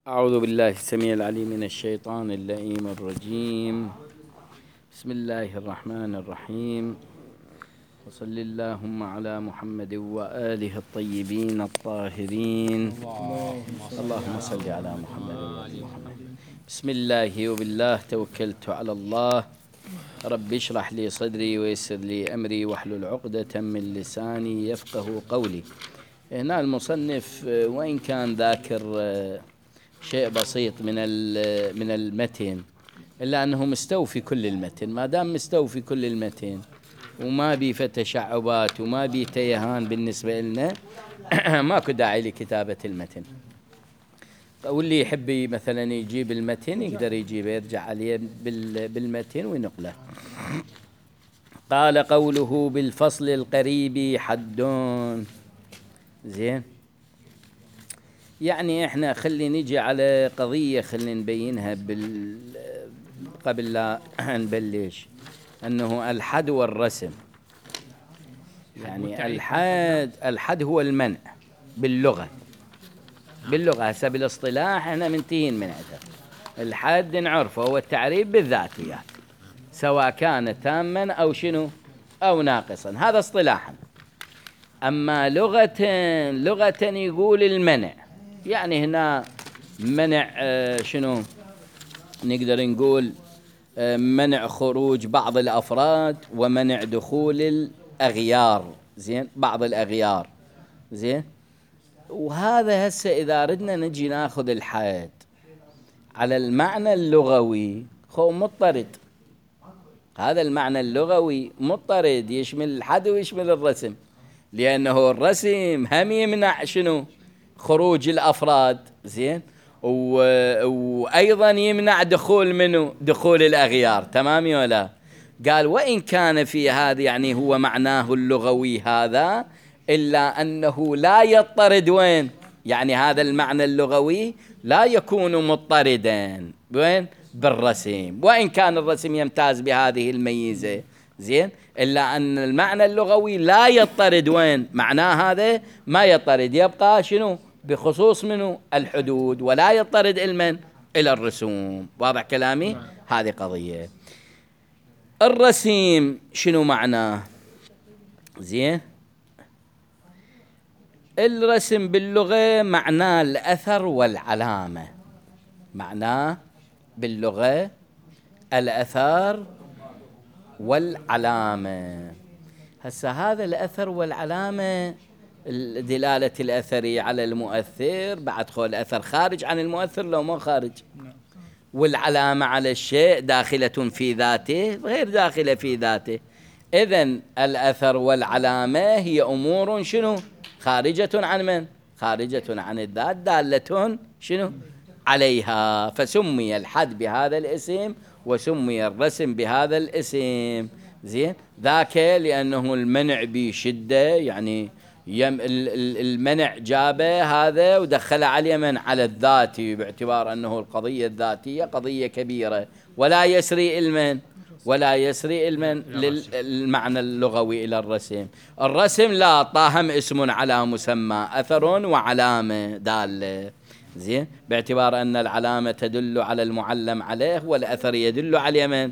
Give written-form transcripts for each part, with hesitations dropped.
أعوذ بالله السميع العليم من الشيطان اللئيم الرجيم. بسم الله الرحمن الرحيم. وصل اللهم على محمد وآله الطيبين الطاهرين. اللهم صل على محمد وآل محمد. بسم الله وبالله توكلت على الله. رب اشرح لي صدري ويسر لي أمري واحلل عقدة من لساني يفقه قولي. هنا المصنف وإن كان ذاكر شيء بسيط من المتن، إلا أنه مستوفي كل المتن. ما دام مستوفي كل المتن وما بي تشعبات وما بي تيهان بالنسبة لنا ماكو داعي لكتابة المتن. واللي يحب مثلا يجيب المتن يقدر يجيبه، يرجع عليه بالمتن وينقله. قال قوله بالفصل القريب حدون. زين، يعني احنا خلي نجي على قضية خلي نبينها قبل لا نبلش، انه الحد والرسم. يعني الحد هو المنع باللغة هسه بالاصطلاح احنا منتهين من عنده. الحد نعرفه هو التعريف بالذاتيات سواء كان تاما او شنو او ناقصا، هذا اصطلاحا. اما لغة يقول المنع، يعني هنا منع شنو نقدر نقول؟ منع خروج بعض الأفراد ومنع دخول الأغيار. زين، بعض الأغيار. زين، وهذا هسه إذا ردنا نجي ناخذ الحد على المعنى اللغوي هو مضطرد. هذا المعنى اللغوي مضطرد، يشمل الحد ويشمل الرسم، لأنه الرسم هم يمنع شنو؟ خروج الأفراد. زين، وأيضا يمنع دخول الأغيار. تمام ولا؟ قال وإن كان في هذا، يعني هو معناه اللغوي هذا، إلا أنه لا يضطرد. وين؟ يعني هذا المعنى اللغوي لا يكون مضطردا وين؟ بالرسم، وإن كان الرسم يمتاز بهذه الميزة. زين، إلا أن المعنى اللغوي لا يضطرد. وين؟ معناه هذا ما يضطرد، يبقى شنو؟ بخصوص منه الحدود، ولا يضطرد إلى الرسوم. واضح كلامي؟ هذه قضية. الرسم شنو معناه؟ زين، الرسم باللغة معناه الأثر والعلامة. معناه باللغة الأثر والعلامة. هسه هذا الأثر والعلامة، دلالة الأثر على المؤثر، بعد خول الأثر خارج عن المؤثر لو ما خارج، والعلامة على الشيء داخلة في ذاته غير داخلة في ذاته. إذن الأثر والعلامة هي أمور شنو؟ خارجة عن من؟ خارجة عن الذات، دالة شنو؟ عليها. فسمي الحد بهذا الاسم وسمي الرسم بهذا الاسم. زين، ذاك لأنه المنع بشدة، يعني المنع جابه هذا ودخله على اليمن على الذاتي، باعتبار أنه القضية الذاتية قضية كبيرة، ولا يسري للمعنى اللغوي إلى الرسم. الرسم لا، طاهم اسم على مسمى، أثر وعلامة دالة. زين، باعتبار أن العلامة تدل على المعلم عليه، والأثر يدل على اليمن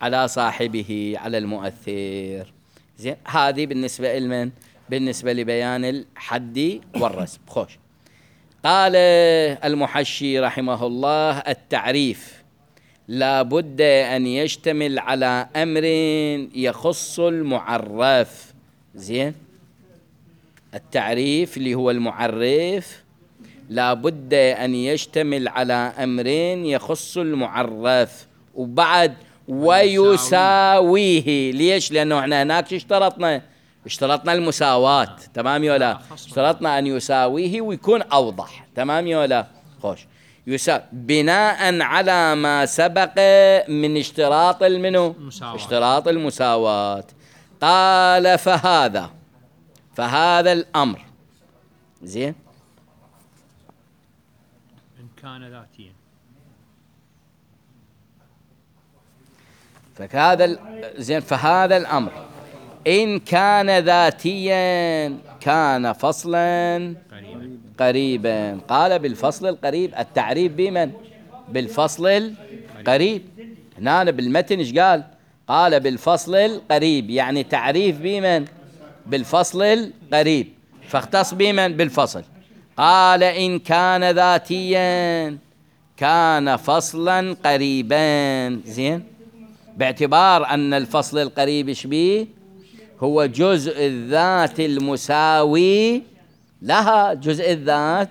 على صاحبه، على المؤثر. زين، هذه بالنسبة لبيان الحد والرسم. خوش. قال المحشي رحمه الله: التعريف لا بد أن يشتمل على أمر يخص المعرف. زين، التعريف اللي هو المعرف لا بد أن يشتمل على أمر يخص المعرف، وبعد ويساويه. ليش؟ لأنه احنا هناك اشترطنا المساواة. تمام ولا؟ اشترطنا أن يساويه ويكون أوضح. تمام ولا؟ خوش. بناء على ما سبق من اشتراط اشتراط المساواة. قال فهذا الأمر. زين، إن كان ذاتيا، فهذا الأمر إن كان ذاتيا كان فصلا قريبا. قال بالفصل القريب، التعريف بمن؟ بالفصل القريب. هنا بالمتن ايش قال؟ قال بالفصل القريب، يعني تعريف بمن؟ بالفصل القريب، فاختص بمن؟ بالفصل. قال إن كان ذاتيا كان فصلا قريبا. زين، باعتبار أن الفصل القريب ايش بيه؟ هو جزء الذات المساوي لها، جزء الذات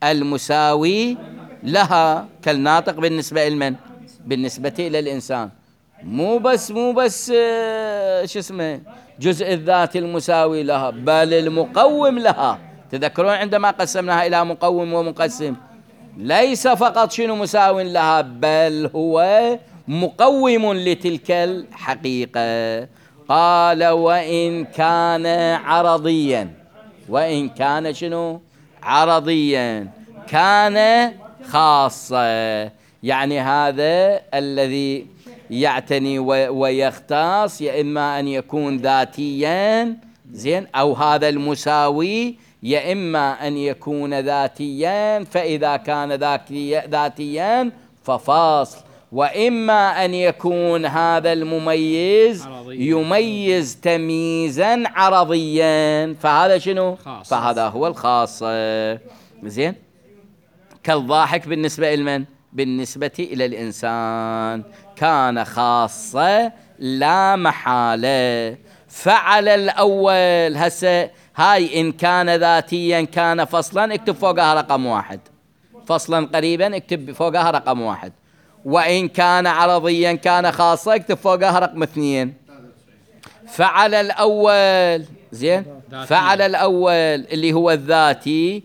المساوي لها، كالناطق بالنسبة لمن؟ بالنسبة إلى الإنسان. مو بس شو اسمه جزء الذات المساوي لها، بل المقوم لها. تذكرون عندما قسمناها إلى مقوم ومقسم، ليس فقط شنو مساو لها، بل هو مقوم لتلك الحقيقة. قال وإن كان عرضيا، وإن كان شنو؟ عرضيا، كان خاصة. يعني هذا الذي يعتني ويختص، يا إما أن يكون ذاتيا، زين، أو هذا المساوي يا إما أن يكون ذاتيا، فإذا كان ذاتيا ففاصل، وإما أن يكون هذا المميز يميز تمييزا عرضيا، فهذا شنو؟ خاص. فهذا هو الخاص. زين، كالضاحك بالنسبة لمن؟ بالنسبة إلى الإنسان كان خاصة لا محالة. فعل الأول، هسه هاي إن كان ذاتيا كان فصلا، اكتب فوقها رقم 1. فصلا قريبا اكتب فوقها رقم 1. وإن كان عرضيا كان خاصة اكتب فوقها رقم 2. فعل الأول، زين، فعل الأول اللي هو الذاتي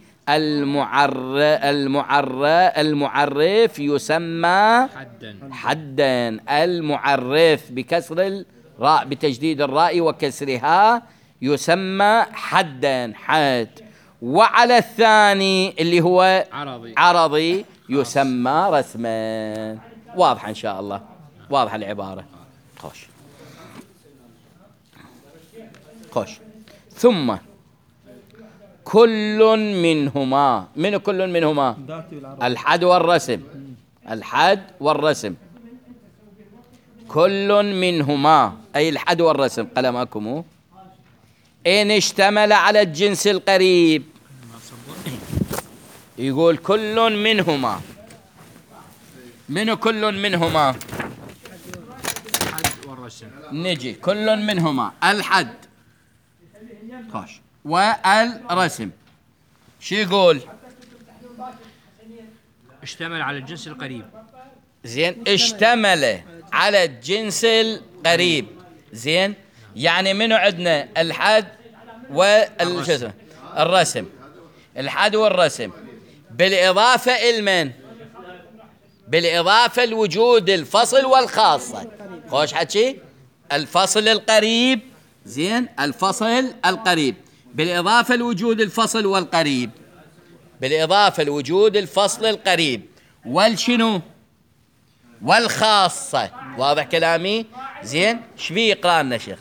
المعرف يسمى حدا. المعرف بكسر الراء، بتجديد الراء وكسرها، يسمى حدا، حد. وعلى الثاني اللي هو عرضي يسمى رسما. واضحة إن شاء الله، واضحة العبارة. خوش. ثم كل منهما، من كل منهما؟ الحد والرسم. الحد والرسم، كل منهما أي الحد والرسم، قلمكم، إن اشتمل على الجنس القريب. يقول كل منهما، من كل منهما؟ الحد والرسم. نجي كل منهما الحد خوش والرسم، شو يقول؟ اشتمل على الجنس القريب. زين، اشتمل على الجنس القريب. زين، يعني منو عندنا؟ الحد والرسم. الحد والرسم بالإضافة إلمن؟ بالإضافة لوجود الفصل والخاصة. خوش حكي، الفصل القريب. زين، الفصل القريب بالإضافة لوجود الفصل والقريب، بالإضافة لوجود الفصل القريب والشنو؟ والخاصة. واضح كلامي؟ زين، شبيه يقرأ لنا شيخ؟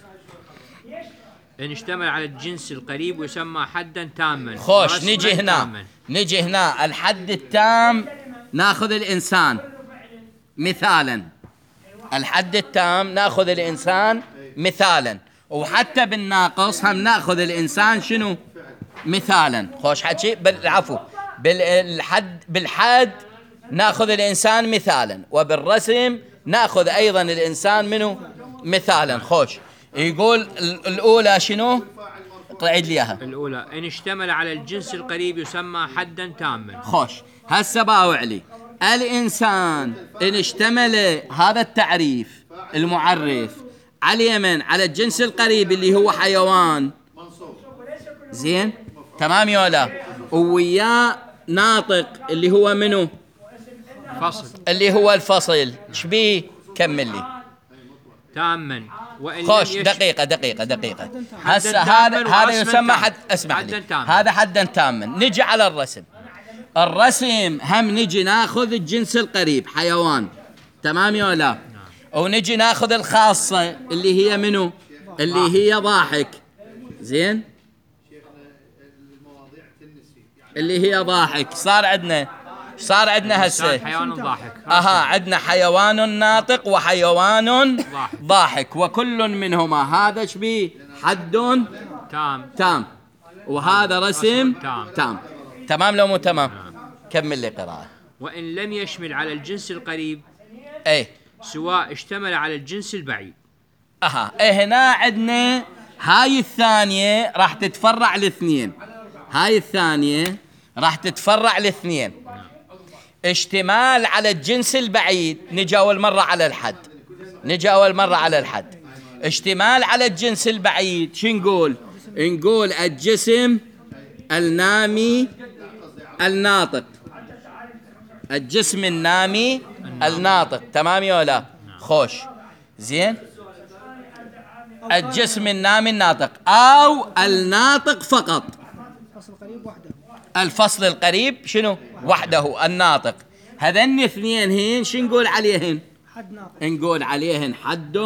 إن اشتمل على الجنس القريب يسمى حدا تاما. خوش، نجي هنا، نجي هنا الحد التام ناخذ الإنسان مثالا. الحد التام ناخذ الإنسان مثالا، وحتى بالناقص هم ناخذ الإنسان شنو؟ مثالا. خوش حكي، بالعفو، بالحد ناخذ الإنسان مثالا، وبالرسم ناخذ أيضا الإنسان منه مثالا. خوش، يقول الأولى شنو؟ اقرأ لي إياها. الأولى إن اشتمل على الجنس القريب يسمى حدا تاما. خوش، هسه باوع لي الإنسان إن اشتمل هذا التعريف المعرف على من؟ على الجنس القريب اللي هو حيوان. زين، تمام يا لا؟ وياه ناطق اللي هو منو؟ فصل، اللي هو الفصل. شبيه؟ كمل لي. تاما. خوش، دقيقة. هسه هذا يسمى حد، اسمع لي، هذا حدا تاما. نجي على الرسم. الرسم هم نجي ناخذ الجنس القريب حيوان، تمام يا لا؟ ونجي ناخذ الخاصة اللي هي منو؟ اللي هي ضاحك. زين، اللي هي ضاحك. صار عندنا هسه حيوان ضاحك. عندنا حيوان ناطق وحيوان ضاحك، وكل منهما هذا شبيه حد تام وهذا رسم تام. تمام لو مو تمام؟ كمل لي قراءة. وإن لم يشمل على الجنس القريب سواء اشتمل على الجنس البعيد. هنا عندنا هاي الثانية راح تتفرع لاثنين. اشتمال على الجنس البعيد نجي أول مرة على الحد. اشتمال على الجنس البعيد شو نقول؟ نقول الجسم النامي الناطق. الجسم النامي الناطق. تمام يا ولا؟ خوش زين. الجسم النامي الناطق أو الناطق فقط. الفصل القريب شنو؟ وحده الناطق. هذين اثنين هين شو نقول عليهن؟ نقول عليهن حد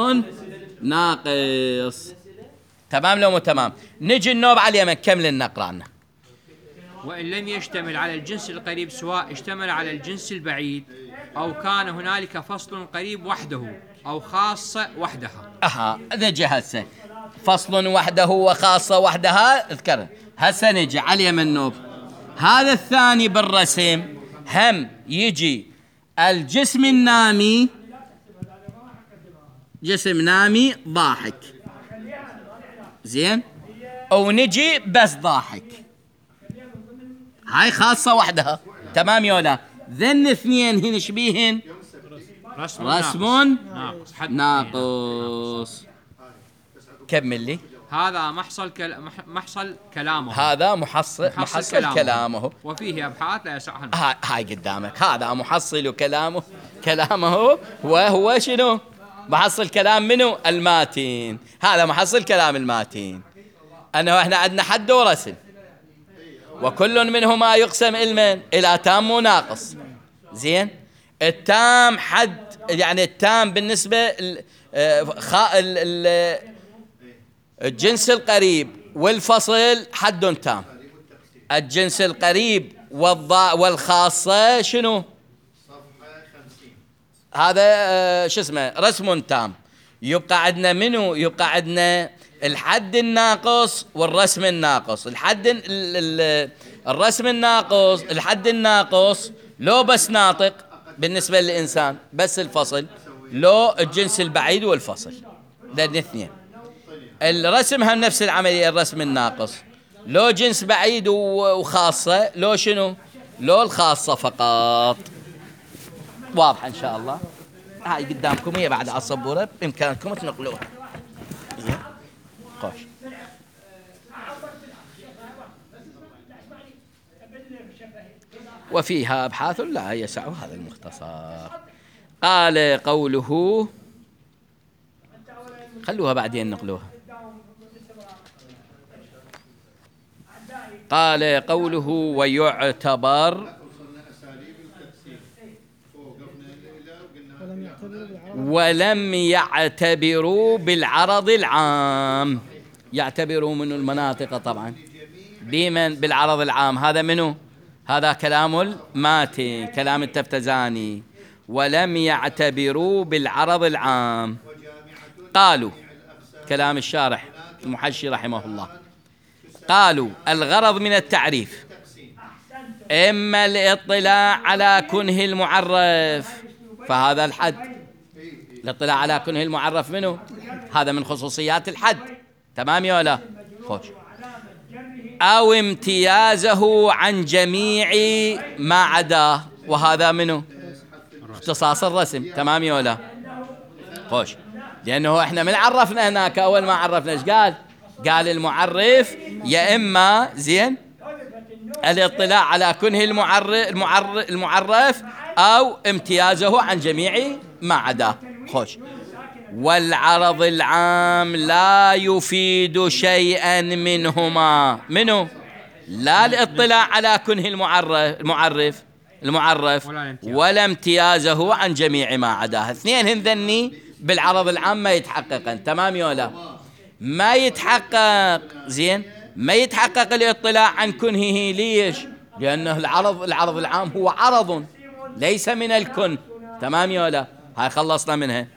ناقص. تمام لو مو تمام؟ نجي النوب على اليمن. كمل النقرة عنا. وإن لم يشتمل على الجنس القريب سواء اشتمل على الجنس البعيد أو كان هنالك فصل قريب وحده أو خاصة وحدها. نجي هسه فصل وحده وخاصة وحدها. اذكر هسه نجي على اليمن نوب. هذا الثاني بالرسم هم يجي الجسم النامي، جسم نامي ضاحك زين، او نجي بس ضاحك. هاي خاصة وحدها. تمام يولا؟ ذن اثنين هن شبيهن رسم ناقص. كمل لي. هذا محصل كلامه. هذا محصل كلامه. وفيه أبحاث لا يسعها. هاي قدامك. هذا محصل كلامه وهو شنو؟ محصل كلام منو؟ الماتين. هذا محصل كلام الماتين. احنا عندنا حد ورسم، وكل منهما يقسم إلى تام وناقص. زين. التام حد، يعني التام بالنسبة الجنس القريب والفصل حد تام. الجنس القريب والخاصة شنو؟ هذا شو اسمه؟ رسم تام. يبقى عندنا منو؟ يبقى عندنا الحد الناقص والرسم الناقص. الرسم الناقص، الحد الناقص لو بس ناطق بالنسبة للإنسان، بس الفصل لو الجنس البعيد والفصل. ده الاثنين. الرسم هم نفس العملية. الرسم الناقص لو جنس بعيد وخاصة، لو شنو؟ لو الخاصة فقط. واضحة إن شاء الله. هاي قدامكم هي بعد على السبورة، بإمكانكم تنقلوها. خوش. وفيها أبحاث لا يسع هذا المختصر. قال قوله، خلوها بعدين نقلوها. قال قوله ويعتبر ولم يعتبروا بالعرض العام. يعتبروا من المناطق طبعا بمن؟ بالعرض العام. هذا منه؟ هذا كلام الماتي، كلام التفتزاني. ولم يعتبروا بالعرض العام. قالوا، كلام الشارح المحشي رحمه الله، قالوا الغرض من التعريف إما الاطلاع على كنه المعرف، فهذا الحد. الاطلاع على كنه المعرف منه؟ هذا من خصوصيات الحد. تمام يا ولا؟ خوش. أو امتيازه عن جميع ما عداه، وهذا منه؟ اختصاص الرسم. تمام يا ولا؟ خوش. لأنه احنا من عرفنا هناك أول ما عرفنا ايش قال؟ قال المعرف يا إما زين الاطلاع على كنه المعرف أو امتيازه عن جميع ما عداه. خوش. والعرض العام لا يفيد شيئا منهما. منه؟ لا الاطلاع على كنه المعرف ولا امتيازه عن جميع ما عداه. اثنين هذني بالعرض العام ما يتحققن. تمام يا ولا؟ ما يتحقق. زين. ما يتحقق الاطلاع عن كنهه. ليش؟ لأنه العرض العام هو عرض ليس من الكن. تمام يا لا؟ هاي خلصنا منها.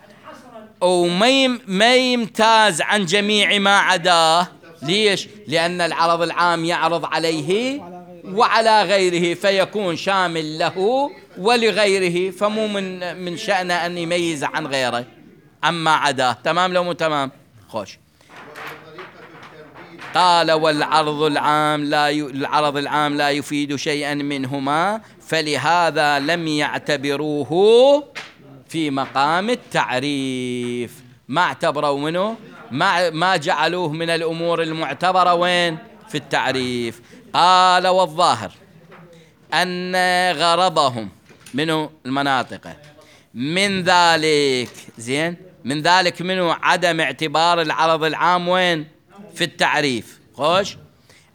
وما يمتاز عن جميع ما عداه. ليش؟ لأن العرض العام يعرض عليه وعلى غيره، فيكون شامل له ولغيره، فمو من شأنه أن يميز عن غيره عما عداه. تمام لو مو تمام؟ خوش. قال والعرض العام لا يفيد شيئا منهما، فلهذا لم يعتبروه في مقام التعريف. ما اعتبروا منه، ما جعلوه من الأمور المعتبرة وين؟ في التعريف. قال والظاهر أن غرضهم منه المناطق من ذلك، زين، من ذلك منه عدم اعتبار العرض العام وين؟ في التعريف. خوش.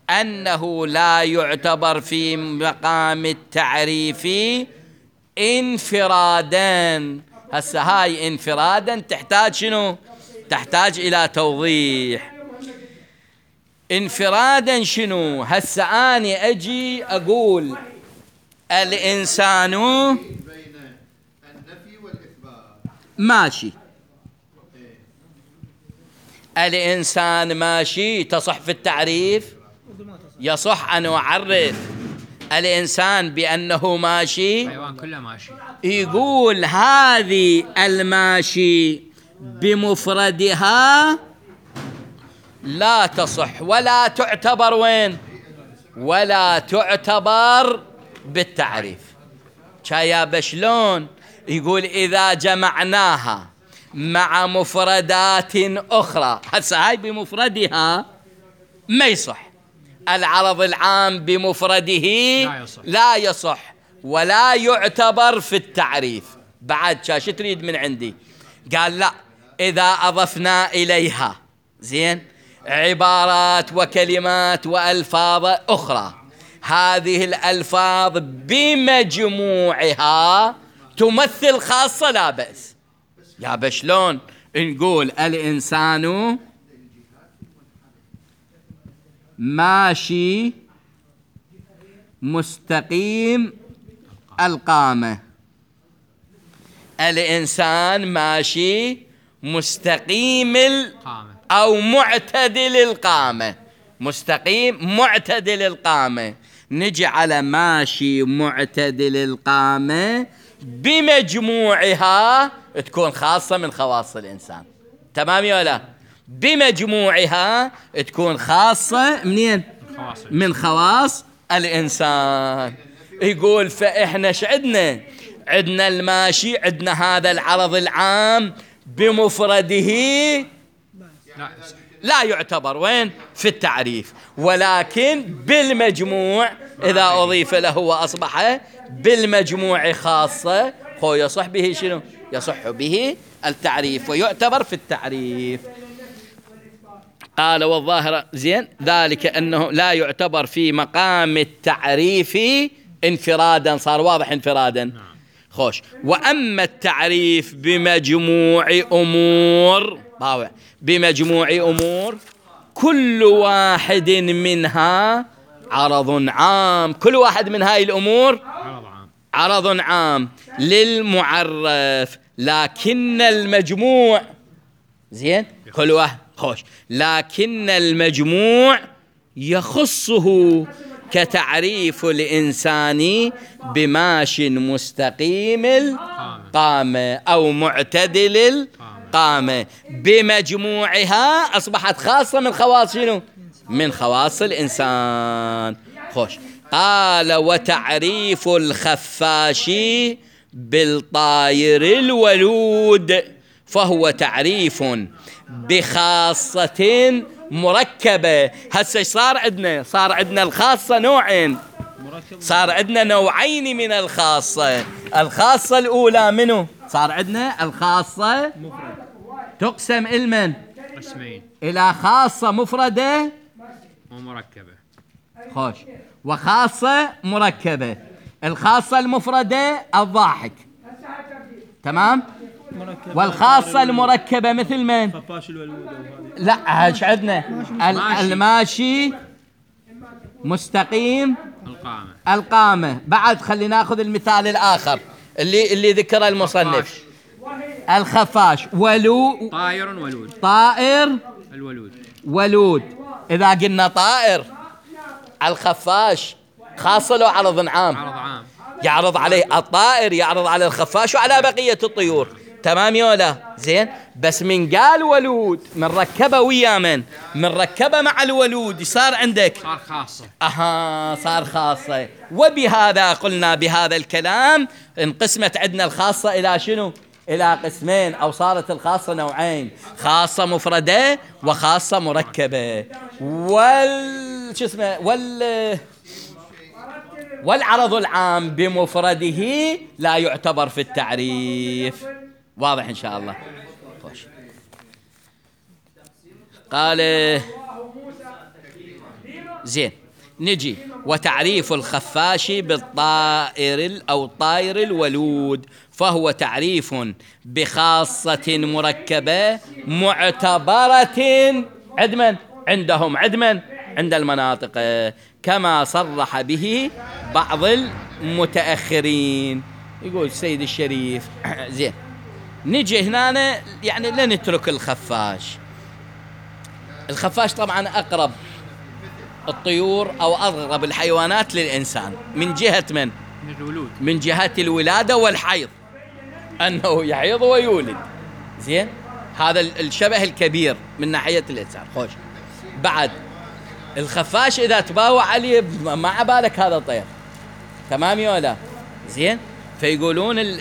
أنه لا يعتبر في مقام التعريف انفرادا. هسه هاي انفرادا تحتاج شنو؟ تحتاج إلى توضيح. انفرادا شنو؟ هسه أنا أجي أقول الإنسان بين النفي والإثبات ماشي، الإنسان ماشي، تصح في التعريف؟ يصح أن أعرف الإنسان بأنه ماشي؟ الحيوان كله ماشي. يقول هذه الماشي بمفردها لا تصح ولا تعتبر وين؟ ولا تعتبر بالتعريف. شايا بشلون؟ يقول إذا جمعناها مع مفردات أخرى، هسه هاي بمفردها ما يصح. العرض العام بمفرده لا يصح ولا يعتبر في التعريف. بعد شو تريد من عندي؟ قال لا، إذا أضفنا إليها زين عبارات وكلمات وألفاظ أخرى، هذه الألفاظ بمجموعها تمثل خاصة لا بأس. يا بشلون نقول الإنسان ماشي مستقيم القامة، الإنسان ماشي مستقيم أو معتدل القامة، مستقيم معتدل القامة، نجي على ماشي معتدل القامة بمجموعها تكون خاصة من خواص الإنسان. تمام يا لا؟ بمجموعها تكون خاصة منين؟ من خواص الإنسان. يقول فإحنا شعدنا عندنا الماشي، عندنا هذا العرض العام بمفرده لا يعتبر وين؟ في التعريف، ولكن بالمجموع إذا أضيف له وأصبح بالمجموع خاصة، هو يصح به شنو؟ يصح به التعريف ويعتبر في التعريف. قال والظاهر زين ذلك أنه لا يعتبر في مقام التعريف انفرادا. صار واضح انفرادا. خوش. وأما التعريف بمجموع أمور، بمجموع أمور كل واحد منها عرض عام، كل واحد من هاي الأمور عرض عام للمعرف، لكن المجموع زين كل واحد خوش، لكن المجموع يخصه كتعريف الإنسان بماش مستقيم القامة أو معتدل القامة، بمجموعها أصبحت خاصة من خواص شنو؟ من خواص الإنسان. خوش. قال وتعريف الخفاش بالطائر الولود فهو تعريف بخاصة مركبة. هسه صار عندنا الخاصة نوعين، صار عندنا نوعين من الخاصة. الخاصة الأولى منه صار عندنا الخاصة تقسم المن قسمين إلى خاصة مفردة ومركبة. خوش. وخاصة مركبة. الخاصة المفردة الضاحك، تمام؟ والخاصة المركبة مثل من؟ لا هاش عندنا الماشي مستقيم القامة. بعد خلينا ناخذ المثال الآخر اللي ذكره المصنف. الخفاش. طائر ولود. طائر الولود ولود. إذا قلنا طائر، الخفاش خاصة لو عرض عام؟ عرض عام. يعرض عليه الطائر، يعرض على الخفاش وعلى بقية الطيور. تمام يولا؟ زين. بس من قال ولود من ركبه ويا من ركبه مع الولود صار عندك صار خاصة. صار خاصة. وبهذا قلنا بهذا الكلام انقسمت عندنا الخاصة إلى شنو؟ إلى قسمين، أو صارت الخاصة نوعين: خاصة مفردة وخاصة مركبة. والعرض العام بمفرده لا يعتبر في التعريف. واضح إن شاء الله؟ خوش. قال زين. نجي وتعريف الخفاش بالطائر أو طائر الولود، فهو تعريف بخاصة مركبة معتبرة عندهم عند المناطق، كما صرح به بعض المتأخرين. يقول السيد الشريف. زين. نجي هنا يعني لا نترك الخفاش طبعا أقرب الطيور أو أقرب الحيوانات للإنسان من جهة من جهة الولادة والحيض، أنه يحيض ويولد. زين. هذا الشبه الكبير من ناحية الإنسان. خوش. بعد الخفاش إذا تباوع عليه ما عبالك هذا طير. تمام ولا؟ زين. فيقولون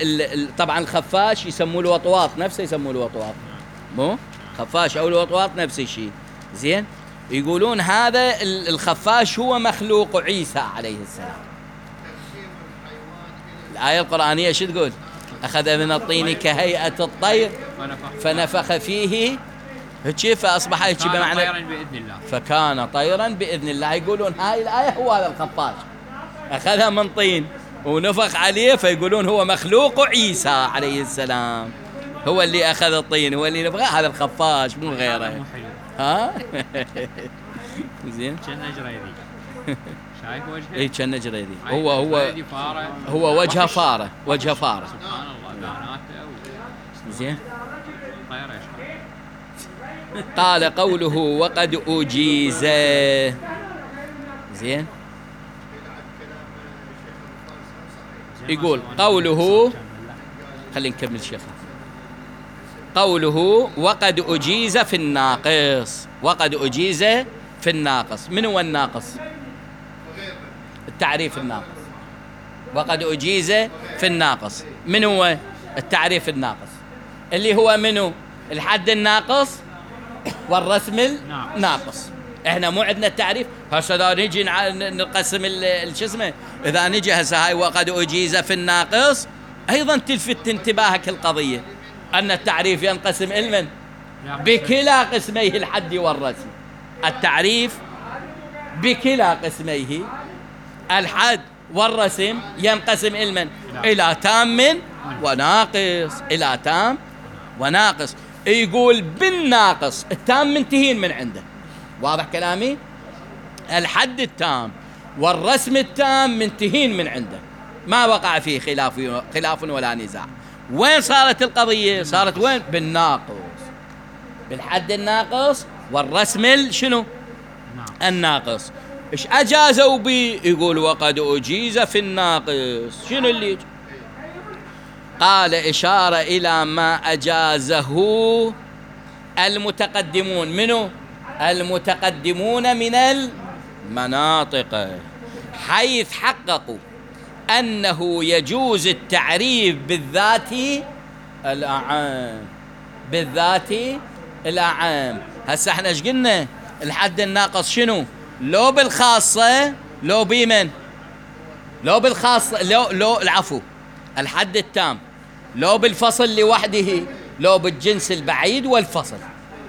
طبعا الخفاش يسموه الوطواط، نفسه يسموه الوطواط، مو خفاش أو الوطواط نفس الشيء. زين. يقولون هذا الخفاش هو مخلوق عيسى عليه السلام. الآية القرآنية شو تقول؟ أخذ من الطين كهيئة الطير فنفخ فيه كيف فأصبح بمعنى طيرا بإذن الله، فكان طيرا بإذن الله. يقولون هاي الآية هو هذا الخفاش أخذها من طين ونفخ عليه، فيقولون هو مخلوق عيسى عليه السلام، هو اللي أخذ الطين، هو اللي نفخ. هذا الخفاش مو غيره. ها زين. كأنه جريدي. شايف وجهه؟ اي كأنه جريدي. هو وجهه فارة. سبحان الله. بناته زين. طير. قال قوله وقد أجيز. زين. يقول قوله، خلينا نكمل شيخ. قوله وقد أجيز في الناقص. وقد أجيز في الناقص. من هو الناقص؟ التعريف الناقص. وقد أجيز في الناقص. من هو التعريف الناقص؟ اللي هو منه الحد الناقص والرسم الناقص. احنا مو عندنا التعريف. هسه اذا نجي نقسم الشسمه، اذا نجي هسه هاي وقد أجيز في الناقص، ايضا تلفت انتباهك القضيه ان التعريف ينقسم علما بكلا قسميه الحد والرسم. التعريف بكلا قسميه الحد والرسم ينقسم علما الى تام وناقص. الى تام وناقص. يقول بالناقص التام منتهين من عنده. واضح كلامي؟ الحد التام والرسم التام منتهين من عنده، ما وقع فيه خلاف ولا نزاع. وين صارت القضية؟ صارت وين؟ بالناقص، بالحد الناقص والرسم شنو؟ الناقص. ايش اجازوا بي؟ يقول وقد أجيز في الناقص. شنو اللي يجي؟ قال إشارة إلى ما أجازه المتقدمون. منو؟ المتقدمون من المناطق، حيث حققوا أنه يجوز التعريف بالذات الأعام. بالذات الأعام. هسه احنا ايش قلنا؟ الحد الناقص شنو؟ لو بالخاصة لو بمن؟ لو بالخاصة لو العفو الحد التام لو بالفصل لوحده، لو بالجنس البعيد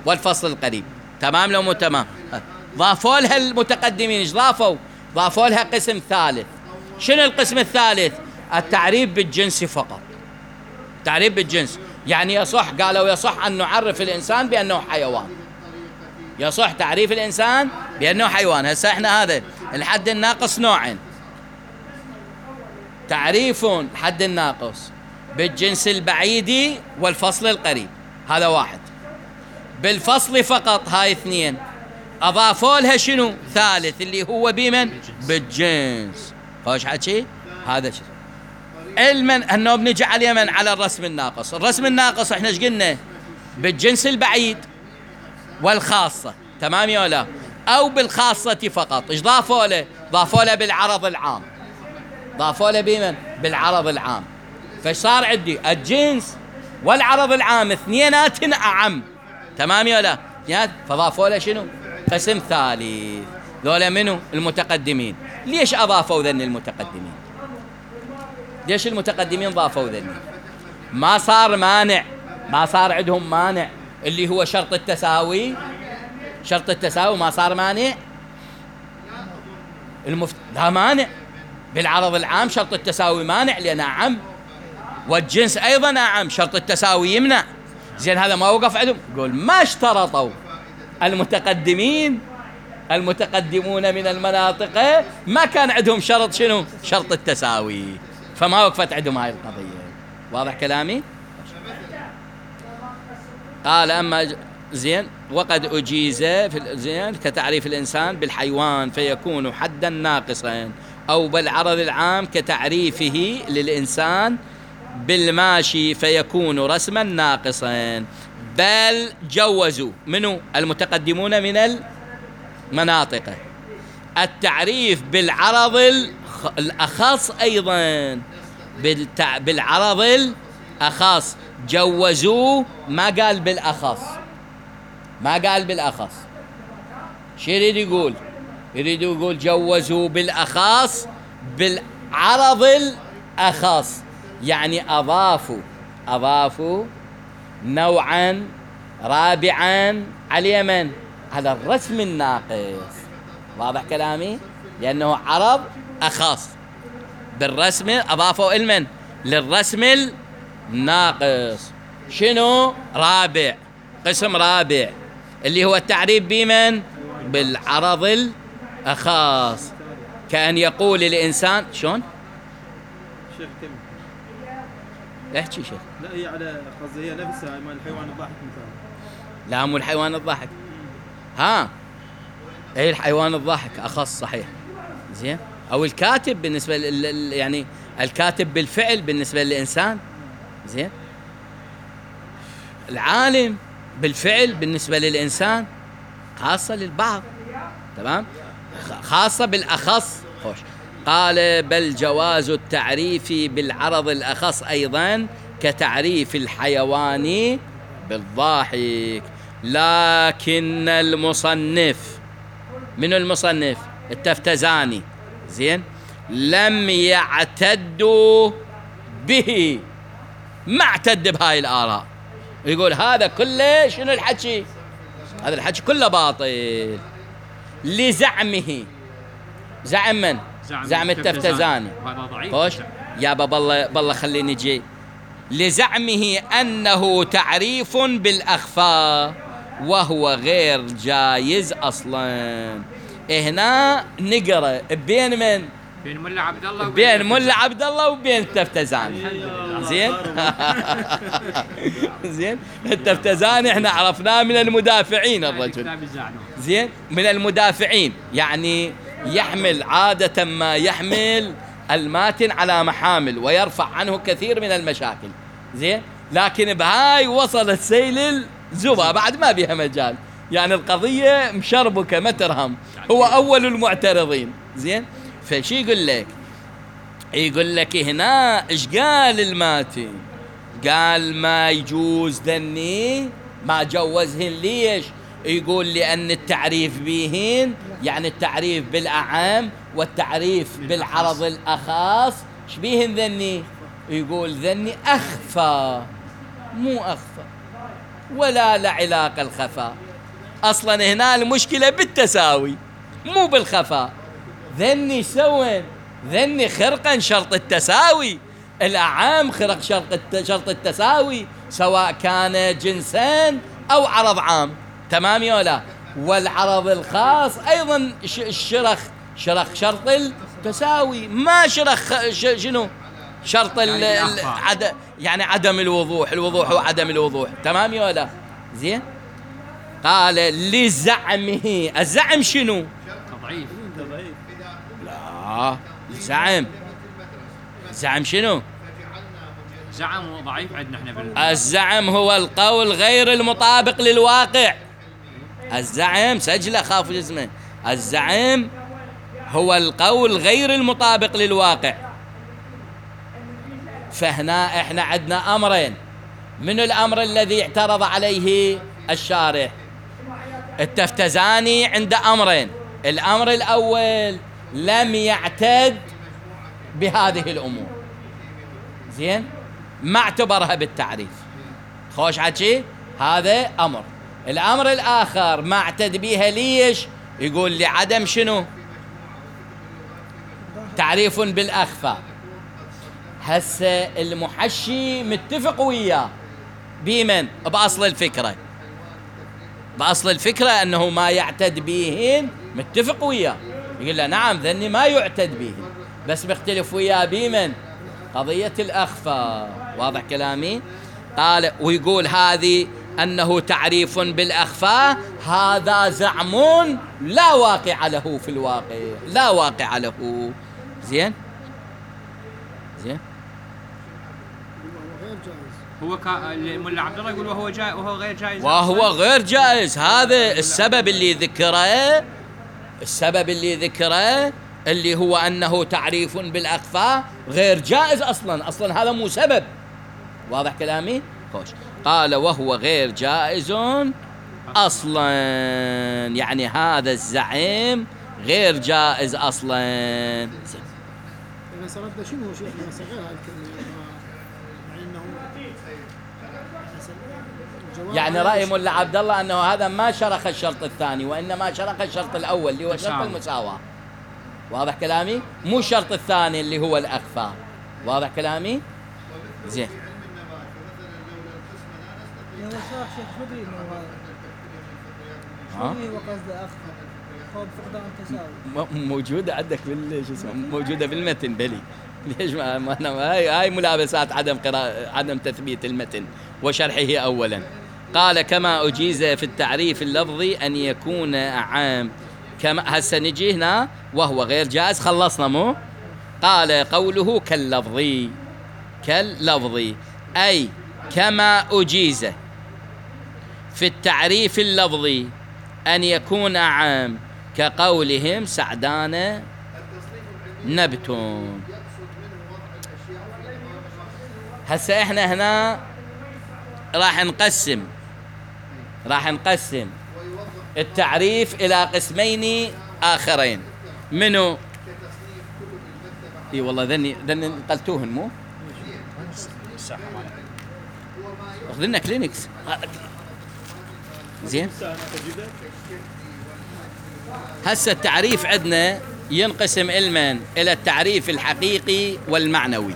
والفصل القريب. تمام لو مو تمام؟ ضافوا لها المتقدمين. ايش ضافوا؟ ضافوا لها قسم ثالث. شنو القسم الثالث؟ التعريف بالجنس فقط. تعريف بالجنس يعني يصح، قالوا يصح أن نعرف الإنسان بأنه حيوان. يصح تعريف الإنسان بأنه حيوان. هسه احنا هذا الحد الناقص نوعين: تعريف الحد الناقص بالجنس البعيد والفصل القريب، هذا واحد. بالفصل فقط هاي اثنين، أضافوا لها شنو؟ ثالث اللي هو بمن؟ بالجنس. خوش حكي؟ هذا شيء. علما أنه بنجي على اليمن على الرسم الناقص. الرسم الناقص احنا ايش قلنا؟ بالجنس البعيد والخاصة، تمام يا لا؟ أو بالخاصة فقط. ايش ضافوا له؟ ضافوا له بالعرض العام. ضافوا له بمن؟ بالعرض العام. فصار عندي الجنس والعرض العام اثنينات أعم، تمام يا لا؟ فضافوا له شنو؟ قسم ثالث. ذولا منو؟ المتقدمين. ليش أضافوا ذن المتقدمين؟ ليش المتقدمين ضافوا ذن؟ ما صار مانع، ما صار عندهم مانع اللي هو شرط التساوي. شرط التساوي ما صار مانع. لا مانع. بالعرض العام شرط التساوي مانع لأنه أعم، والجنس أيضا أعم، شرط التساوي يمنع. زين هذا ما وقف عندهم، يقول ما اشترطوا المتقدمون من المناطق ما كان عندهم شرط شنو؟ شرط التساوي، فما وقفت عندهم هاي القضية. واضح كلامي؟ قال أما زين وقد أجيز في زين كتعريف الإنسان بالحيوان فيكون حدا ناقصا، أو بالعرض العام كتعريفه للإنسان بالماشي فيكون رسما ناقصا. بل جوزوا منه المتقدمون من المناطق التعريف بالعرض الأخص أيضا، بالعرض الأخص جوزوا، ما قال بالأخص، ما قال بالأخص. شو يريد يقول؟ يريد يقول جوزوا بالأخص بالعرض الأخص، يعني أضافوا نوعا رابعا على اليمن على الرسم الناقص. واضح كلامي؟ لأنه عرض أخص بالرسم، أضافوا المن للرسم الناقص شنو؟ رابع، قسم رابع اللي هو التعريف بمن؟ بالعرض الأخص. كأن يقول الإنسان شلون؟ شيخ كم؟ احكي شيخ. لا هي على قصدي هي نفسها مال الحيوان الضاحك مثلا. لا مو الحيوان الضاحك. اي الحيوان الضاحك أخص صحيح. زين. أو الكاتب بالنسبة يعني الكاتب بالفعل بالنسبة للإنسان. زين. العالم بالفعل بالنسبة للإنسان، خاصة للبعض، تمام؟ خاصة بالأخص. خوش. قال بل جواز التعريف بالعرض الأخص أيضا كتعريف الحيوان بالضاحك. لكن المصنف، من المصنف؟ التفتزاني، زين، لم يعتدوا به، ما اعتد بهاي الآراء. يقول هذا كله شنو الحكي؟ هذا الحكي كله باطل لزعمه. زعم من؟ زعم التفتزاني. هذا ضعيف. خوش يا بالله خليني جي. لزعمه أنه تعريف بالأخفاء وهو غير جايز أصلا. هنا نقرأ بين من؟ بين ملا عبد الله بين ملا عبد الله وبين التفتزاني. زين. زين. التفتزاني احنا عرفناه من المدافعين الرجل. زين، من المدافعين، يعني يحمل عادة ما يحمل الماتن على محامل ويرفع عنه كثير من المشاكل. زين، لكن بهاي وصل السيل الزبا بعد ما بيها مجال، يعني القضية مشربكة ما ترهم، هو أول المعترضين. زين، فشي يقول لك؟ يقول لك هنا إيش قال الماتن؟ قال ما يجوز ذني، ما جوزهن. ليش؟ يقول لأن التعريف بهن يعني التعريف بالأعام والتعريف بالعرض الأخص شبيهن ذني؟ يقول ذني أخفى، مو أخفى ولا لعلاقة الخفاء. أصلا هنا المشكلة بالتساوي مو بالخفاء. ذني سوين؟ ذني خرقا شرط التساوي. الأعام خرق شرط التساوي سواء كان جنسان أو عرض عام، تمام يا لا؟ والعرض الخاص أيضا شرخ شرط التساوي، ما شرخ شنو شرط يعني عدم الوضوح، الوضوح وعدم الوضوح، تمام يا ولا؟ زين. قال لزعمه، الزعم شنو؟ ضعيف. لا، الزعم شنو؟ زعم ضعيف عندنا احنا الزعم هو القول غير المطابق للواقع. الزعم سجله خاف اسمه، الزعم هو القول غير المطابق للواقع. فهنا احنا عندنا امرين. من الامر الذي اعترض عليه الشارح؟ التفتزاني عند امرين. الامر الاول لم يعتد بهذه الامور، زين، ما اعتبرها بالتعريف. خوش حكي، هذا امر. الامر الاخر ما اعتد بها، ليش؟ يقول لعدم شنو؟ تعريف بالاخفاء. هسه المحشي متفق وياه بمن؟ باصل الفكره. باصل الفكره انه ما يعتد بهن متفق وياه، يقول له نعم ذني ما يعتد بهن، بس مختلف وياه بمن؟ قضيه الاخفاء. واضح كلامي؟ قال ويقول هذه انه تعريف بالاخفاء، هذا زعم لا واقع له في الواقع، لا واقع له. زين زين. هو الملا عبد الله يقول وهو جائز وهو غير جائز، وهو غير جائز. هذا السبب اللي ذكره، السبب اللي ذكره اللي هو أنه تعريف بالأخفاء غير جائز أصلا هذا مو سبب. واضح كلامي؟ خوش. قال وهو غير جائز أصلا، يعني هذا الزعيم غير جائز أصلا. يعني سردنا شنو شيخنا صغير هاي الكلمة، يعني رأي ملا عبد الله أنه هذا ما شرح الشرط الثاني، وإنما شرح الشرط الأول اللي هو شرط المساواة. واضح كلامي؟ مو الشرط الثاني اللي هو الأخفاء. واضح كلامي؟ زين. يا شيخ مدري انه هذا شو هو قصده اخفى خوف فقدان تساوي موجودة عندك شو اسمه، موجودة بالمتن. بلي ليش ما أنا هاي ملابسات عدم تثبيت المتن وشرحه أولا. قال كما أجيز في التعريف اللفظي أن يكون عام. كما هسه نجي هنا وهو غير جائز، خلصنا مو؟ قال قوله كاللفظي، كاللفظي أي كما أجيز في التعريف اللفظي أن يكون عام، كقولهم سعدان نبت. هسه احنا هنا راح نقسم التعريف إلى قسمين آخرين. منو؟ اي والله ذني نقلتوهن مو؟ اخذ لنا كلينكس. زين. هسه التعريف عندنا ينقسم إلى التعريف الحقيقي والمعنوي.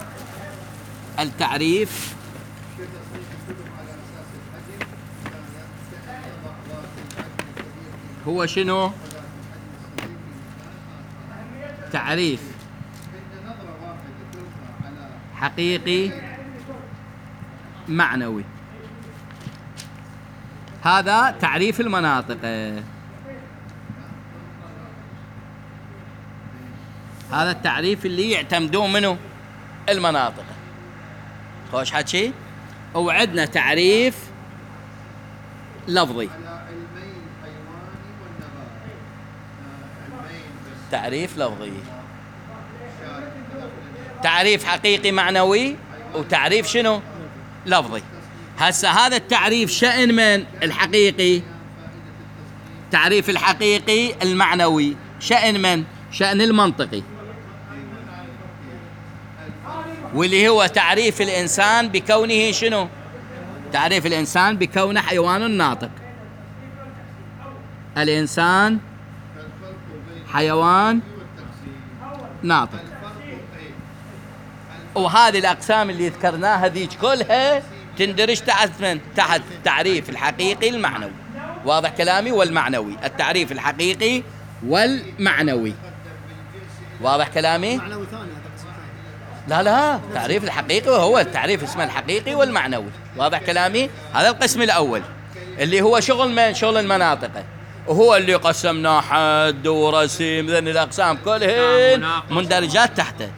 التعريف هو شنو؟ تعريف حقيقي معنوي. هذا تعريف المناطق. هذا التعريف اللي يعتمدون منه المناطق. خوش حكي. وعندنا تعريف لفظي. تعريف لفظي، تعريف حقيقي معنوي، وتعريف شنو؟ لفظي. هسه هذا التعريف شأن من الحقيقي؟ تعريف الحقيقي المعنوي شأن من؟ شأن المنطقي، واللي هو تعريف الإنسان بكونه شنو؟ تعريف الإنسان بكونه حيوان ناطق. الإنسان حيوان ناطق. وهذه الأقسام اللي ذكرناها ذيك كلها تندرج تحت تعريف الحقيقي المعنوي. واضح كلامي؟ والمعنوي، التعريف الحقيقي والمعنوي. واضح كلامي؟ معنوي ثاني لا التعريف الحقيقي وهو التعريف اسمه الحقيقي والمعنوي. واضح كلامي؟ هذا القسم الأول اللي هو شغل من شغل المناطق، وهو اللي قسمنا حد ورسم، ذن الأقسام كلهن مندرجات تحته.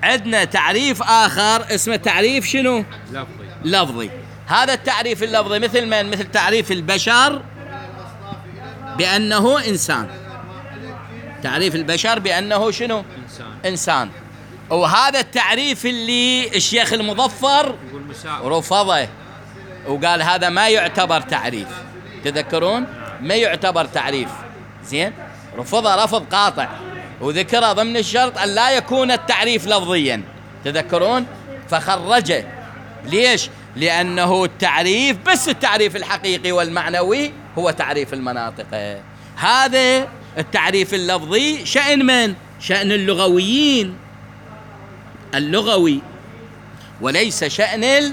عندنا تعريف آخر اسمه تعريف شنو؟ لفظي. هذا التعريف اللفظي مثل من؟ مثل تعريف البشر بأنه إنسان. تعريف البشر بأنه شنو؟ إنسان. وهذا التعريف اللي الشيخ المظفر رفضه وقال هذا ما يعتبر تعريف. تذكرون؟ ما يعتبر تعريف. زين؟ رفضه رفض قاطع، وذكر ضمن الشرط أن لا يكون التعريف لفظيا. تذكرون؟ فخرجه. ليش؟ لأنه التعريف بس التعريف الحقيقي والمعنوي هو تعريف المناطق. هذا التعريف اللفظي شأن من؟ شأن اللغويين، اللغوي، وليس شأن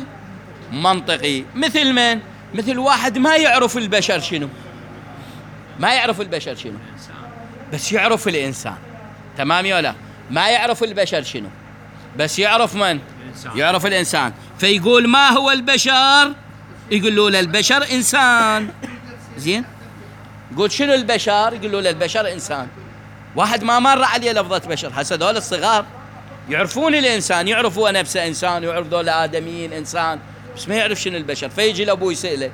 المنطقي. مثل من؟ مثل واحد ما يعرف البشر شنو، ما يعرف البشر شنو، بس يعرف الإنسان. تمام يا لا؟ ما يعرف البشر شنو، بس يعرف من؟ يعرف الإنسان. فيقول ما هو البشر؟ يقول له البشر إنسان. زين؟ يقول شنو البشر؟ يقول له البشر إنسان. واحد ما مر عليه لفظة بشر. هسه دول الصغار يعرفون الإنسان، يعرفوا نفسه إنسان، ويعرف دول آدميين إنسان، بس ما يعرف شنو البشر. فيجي لأبوه يسأله،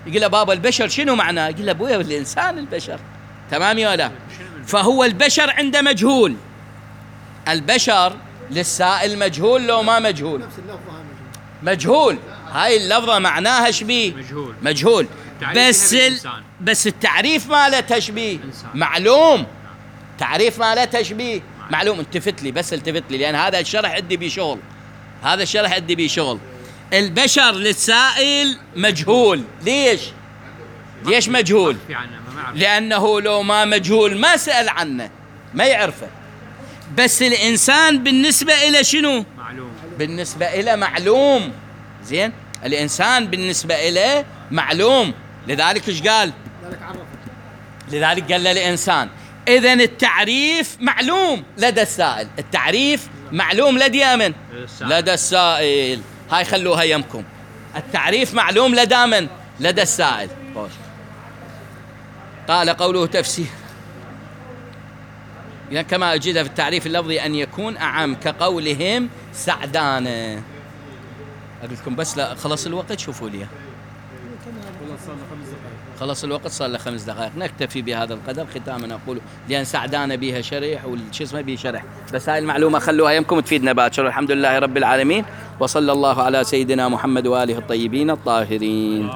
يقول له بابا البشر شنو معناه؟ يقول له أبويا الإنسان البشر. تمام يا لا؟ فهو البشر عنده مجهول. البشر للسائل مجهول لو ما مجهول؟ نفس اللفظة مجهول. هاي اللفظة معناها شبيه؟ مجهول. بس التعريف ما له تشبيه معلوم. تعريف ما له تشبيه معلوم. التفت لي بس، التفت لي، لأن هذا الشرح عندي بشغل، هذا الشرح عندي بشغل. البشر للسائل مجهول. ليش؟ ليش مجهول؟ لأنه لو ما مجهول ما سأل عنه، ما يعرفه. بس الإنسان بالنسبة إلى شنو؟ معلوم. بالنسبة إلى معلوم. زين؟ الإنسان بالنسبة إلى معلوم. لذلك إيش قال؟ لذلك قال للإنسان. إذن التعريف معلوم لدى السائل، التعريف معلوم لدى من؟ لدى السائل. هاي خلوها يمكم. التعريف معلوم لدى من؟ لدى السائل. قال قوله تفسير، يعني كما أجد في التعريف اللفظي أن يكون أعم كقولهم سعدانة. أقول لكم بس لا خلص الوقت، شوفوا لي خلص الوقت، صار له 5 دقائق. نكتفي بهذا القدر. ختاما أقول لأن سعدانة بها شرح والشي اسمه به شرح، بس هاي المعلومة خلوها يمكم تفيدنا باكر. الحمد لله رب العالمين، وصلى الله على سيدنا محمد وآله الطيبين الطاهرين.